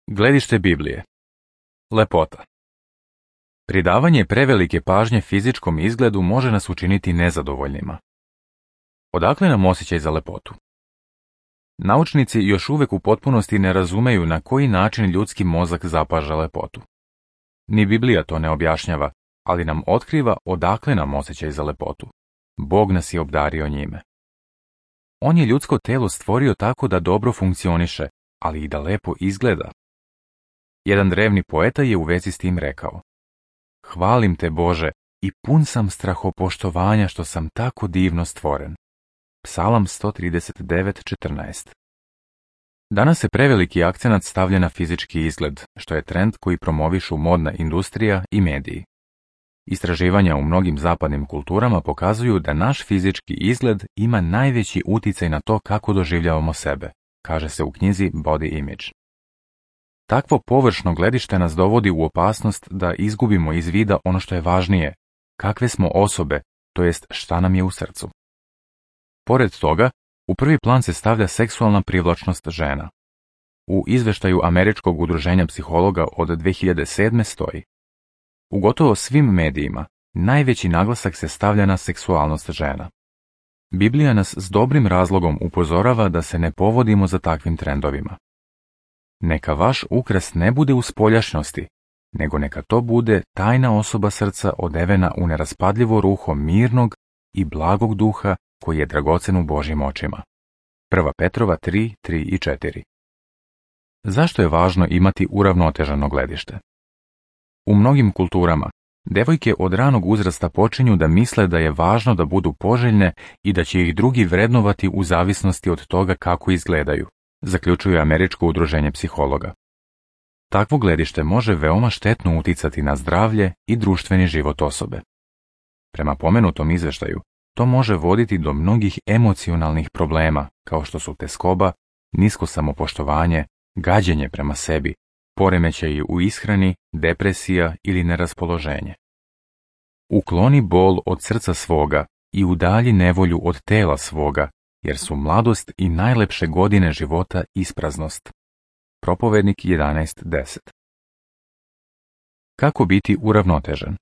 Gledište Biblije. Lepota. Pridavanje prevelike pažnje fizičkom izgledu može nas učiniti nezadovoljnima. Odakle nam osjećaj za lepotu? Naučnici još uvijek u potpunosti ne razumeju na koji način ljudski mozak zapaža lepotu. Ni Biblija to ne objašnjava, ali nam otkriva odakle nam osjećaj za lepotu. Bog nas je obdario njime. On je ljudsko telo stvorio tako da dobro funkcioniše, ali i da lepo izgleda. Jedan drevni poeta je u vezi s tim rekao: Hvalim te, Bože, i pun sam strahopoštovanja što sam tako divno stvoren. Psalam 139:14. Danas se preveliki akcenat stavlja na fizički izgled, što je trend koji promovišu modna industrija i mediji. Istraživanja u mnogim zapadnim kulturama pokazuju da naš fizički izgled ima najveći uticaj na to kako doživljavamo sebe, kaže se u knjizi Body Image. Takvo površno gledište nas dovodi u opasnost da izgubimo iz vida ono što je važnije, kakve smo osobe, to jest šta nam je u srcu. Pored toga, u prvi plan se stavlja seksualna privlačnost žena. U izveštaju Američkog udruženja psihologa od 2007. stoji: U gotovo svim medijima najveći naglasak se stavlja na seksualnost žena. Biblija nas s dobrim razlogom upozorava da se ne povodimo za takvim trendovima. Neka vaš ukras ne bude u spoljašnosti, nego neka to bude tajna osoba srca odevena u neraspadljivo ruho mirnog i blagog duha koji je dragocen u Božjim očima. 1. Petrova 3:3 i 4. Zašto je važno imati uravnoteženo gledište? U mnogim kulturama, devojke od ranog uzrasta počinju da misle da je važno da budu poželjne i da će ih drugi vrednovati u zavisnosti od toga kako izgledaju, zaključuje Američko udruženje psihologa. Takvo gledište može veoma štetno uticati na zdravlje i društveni život osobe. Prema pomenutom izveštaju, to može voditi do mnogih emocionalnih problema, kao što su tezgoba, nisko samopoštovanje, gađenje prema sebi, poremećaji u ishrani, depresija ili neraspoloženje. Ukloni bol od srca svoga i udalji nevolju od tela svoga, jer su mladost i najlepše godine života ispraznost. Propovednik 11:10. Kako biti uravnotežen?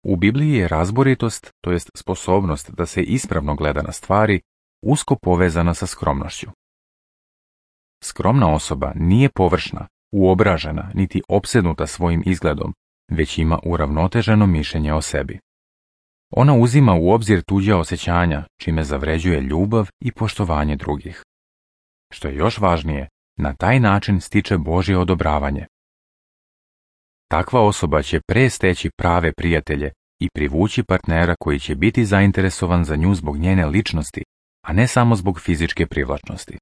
U Bibliji je razboritost, to jest sposobnost da se ispravno gleda na stvari, usko povezana sa skromnošću. Skromna osoba nije površna, uobražena, niti opsednuta svojim izgledom, već ima uravnoteženo mišljenje o sebi. Ona uzima u obzir tuđa osjećanja, čime zavređuje ljubav i poštovanje drugih. Što je još važnije, na taj način stiče Božje odobravanje. Takva osoba će pre steći prave prijatelje i privući partnera koji će biti zainteresovan za nju zbog njene ličnosti, a ne samo zbog fizičke privlačnosti.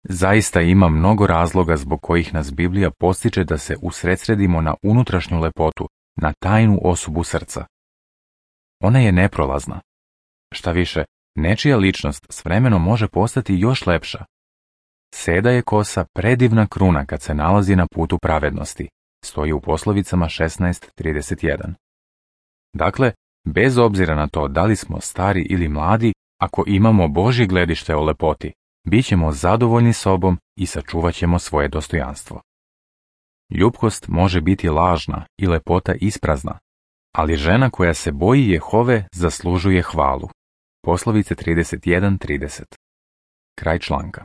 Zaista ima mnogo razloga zbog kojih nas Biblija postiče da se usredsredimo na unutrašnju lepotu, na tajnu osobu srca. Ona je neprolazna. Šta više, nečija ličnost s vremenom može postati još lepša. Seda je kosa predivna kruna kad se nalazi na putu pravednosti, stoji u poslovicama 16:31. Dakle, bez obzira na to da li smo stari ili mladi, ako imamo Božje gledište o lepoti, bit ćemo zadovoljni sobom i sačuvat ćemo svoje dostojanstvo. Ljubkost može biti lažna i lepota isprazna, ali žena koja se boji Jehove zaslužuje hvalu. Poslovice 31:30. Kraj članka.